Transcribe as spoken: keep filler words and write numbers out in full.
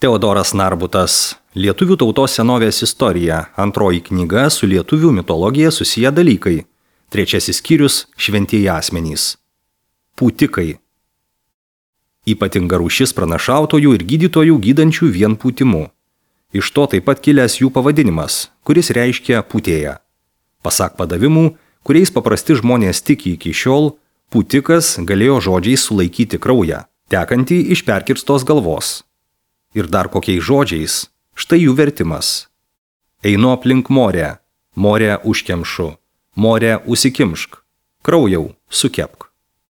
Teodoras Narbutas. Lietuvių tautos senovės istorija. Antroji knyga su lietuvių mitologija susiję dalykai. Trečiasis skyrius – šventieji asmenys. Pūtikai. Ypatinga rūšis pranašautojų ir gydytojų gydančių vien pūtimu. Iš to taip pat kilęs jų pavadinimas, kuris reiškia pūtėją. Pasak padavimų, kuriais paprasti žmonės tiki iki šiol, pūtikas galėjo žodžiais sulaikyti kraują, tekantį iš perkirstos galvos. Ir dar kokiais žodžiais, štai jų vertimas. Einu aplink morę, morę užkemšu, morę užsikimšk, kraujau sukep.